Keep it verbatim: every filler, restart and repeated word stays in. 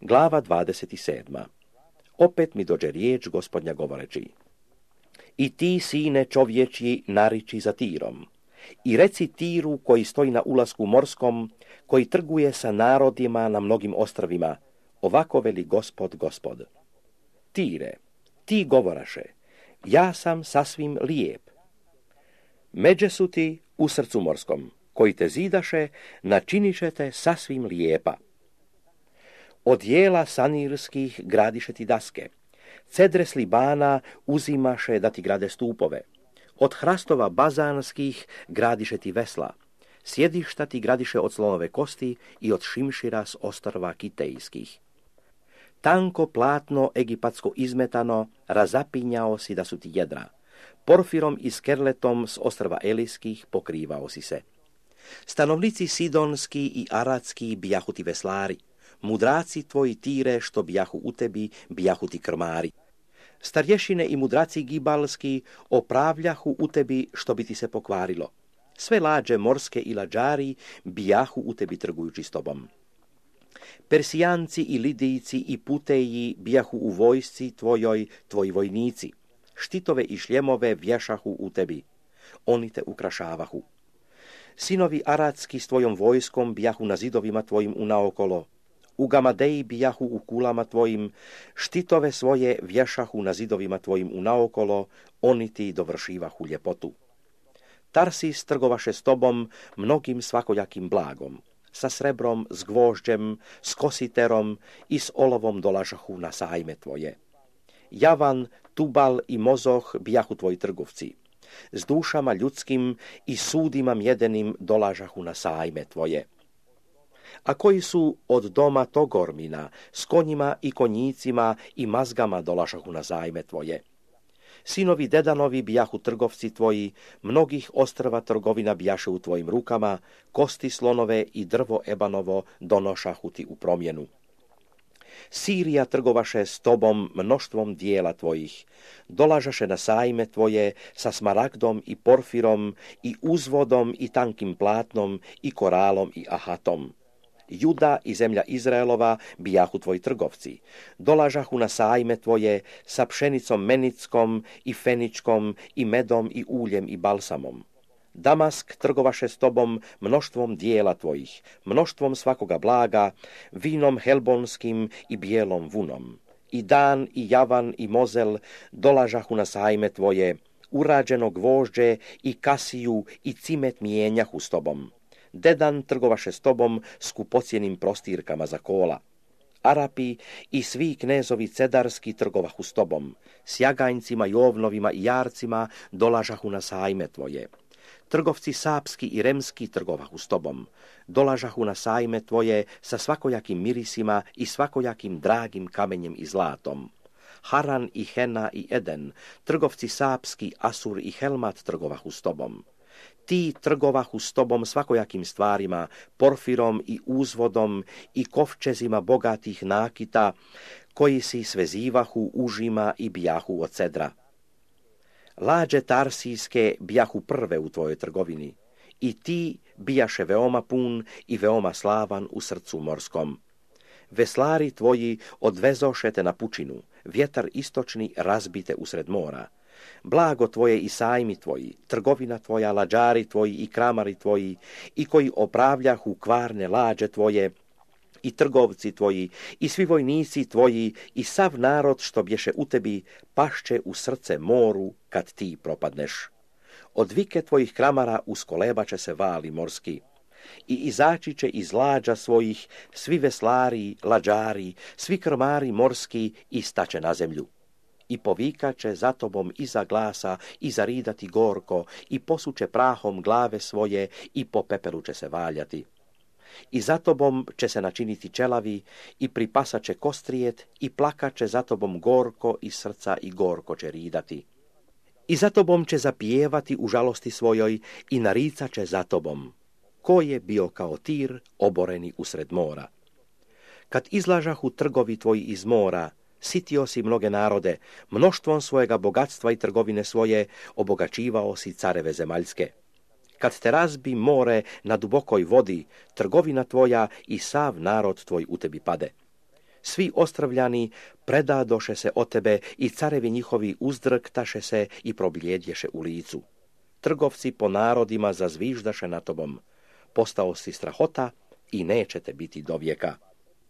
Glava dvadeset sedma. Opet mi dođe riječ Gospodnja govoreći: I ti, sine čovječji, nariči za Tirom, i reci Tiru koji stoji na ulasku morskom, koji trguje sa narodima na mnogim ostrvima, ovako veli Gospod, Gospod. Tire, ti govoraše, ja sam sasvim lijep. Međe su ti u srcu morskom, koji te zidaše, načiniše te sasvim lijepa. Od jela sanirskih gradiše ti daske, cedre s Libana uzimaše da ti grade stupove, od hrastova bazanskih gradiše ti vesla, sjedišta ti gradiše od slonove kosti i od šimšira s ostrva kitejskih. Tanko platno egipatsko izmetano razapinjao si da su ti jedra, porfirom i skerletom s ostrva elijskih pokrivao si se. Stanovnici sidonski i aradski bijahu ti veslari, mudraci tvoji Tire što bijahu u tebi, bijahu ti krmari. Starješine i mudraci gibalski opravljahu u tebi što bi ti se pokvarilo. Sve lađe morske i lađari bijahu u tebi trgujući s tobom. Persijanci i lidijci i puteji bijahu u vojsci tvojoj, tvoji vojnici. Štitove i šljemove vješahu u tebi. Oni te ukrašavahu. Sinovi aradski s tvojom vojskom bijahu na zidovima tvojim unaokolo. U Gamadeji bijahu u kulama tvojim, štitove svoje vješahu na zidovima tvojim unaokolo, oni ti dovršivahu ljepotu. Tarsis trgovaše s tobom mnogim svakojakim blagom, sa srebrom, s gvožđem, s kositerom i s olovom dolažahu na sajme tvoje. Javan, Tubal i Mozoh bijahu tvoji trgovci, s dušama ljudskim i sudima mjedenim dolažahu na sajme tvoje. A koji su od doma Togormina, s konjima i konjicima i mazgama dolažahu na sajme tvoje. Sinovi Dedanovi bijahu trgovci tvoji, mnogih ostrva trgovina bijaše u tvojim rukama, kosti slonove i drvo ebanovo donošahu ti u promjenu. Sirija trgovaše s tobom mnoštvom dijela tvojih, dolažaše na sajme tvoje sa smaragdom i porfirom i uzvodom i tankim platnom i koralom i ahatom. Juda i zemlja Izraelova bijahu tvoji trgovci, dolažahu na sajme tvoje sa pšenicom menickom i feničkom i medom i uljem i balsamom. Damask trgovaše s tobom mnoštvom dijela tvojih, mnoštvom svakoga blaga, vinom helbonskim i bijelom vunom. I Dan i Javan i Mozel dolažahu na sajme tvoje, urađeno gvožđe i kasiju i cimet mijenjahu s tobom. Dedan trgovaše s tobom skupocjenim prostirkama za kola. Arapi i svi knezovi cedarski trgovahu s tobom, s jaganjcima i ovnovima i jarcima dolažahu na sajme tvoje. Trgovci sapski i remski trgovahu s tobom, dolažahu na sajme tvoje sa svakojakim mirisima i svakojakim dragim kamenjem i zlatom. Haran i Hena i Eden, trgovci sapski, Asur i Helmat trgovahu s tobom. Ti trgovahu s tobom svakojakim stvarima, porfirom i uzvodom i kovčezima bogatih nakita, koji si svezivahu užima i bijahu od cedra. Lađe tarsijske bijahu prve u tvojoj trgovini, i ti bijaše veoma pun i veoma slavan u srcu morskom. Veslari tvoji odvezoše te na pučinu, vjetar istočni razbite usred mora. Blago tvoje i sajmi tvoji, trgovina tvoja, lađari tvoji i kramari tvoji, i koji opravljahu kvarne lađe tvoje, i trgovci tvoji, i svi vojnici tvoji, i sav narod što bješe u tebi, pašće u srce moru kad ti propadneš. Od vike tvojih kramara uskolebaće se vali morski, i izaći će iz lađa svojih svi veslari, lađari, svi krmari morski i staće na zemlju. I povikaće za tobom iza glasa i zaridati gorko, i posuće prahom glave svoje i po pepelu će se valjati. I za tobom će se načiniti čelavi i pripasat će kostrijet i plakaće za tobom gorko iz srca i gorko će ridati. I za tobom će zapijevati u žalosti svojoj i naricat će za tobom. Ko je bio kao Tir oboreni usred mora? Kad izlažahu trgovi tvoji iz mora, sitio si mnoge narode, mnoštvom svojega bogatstva i trgovine svoje obogaćivao si careve zemaljske. Kad te razbi more na dubokoj vodi, trgovina tvoja i sav narod tvoj u tebi pade. Svi ostravljani predadoše se o tebe i carevi njihovi uzdrktaše se i probljedješe u licu. Trgovci po narodima zazviždaše na tobom. Postao si strahota i neće te biti do vijeka.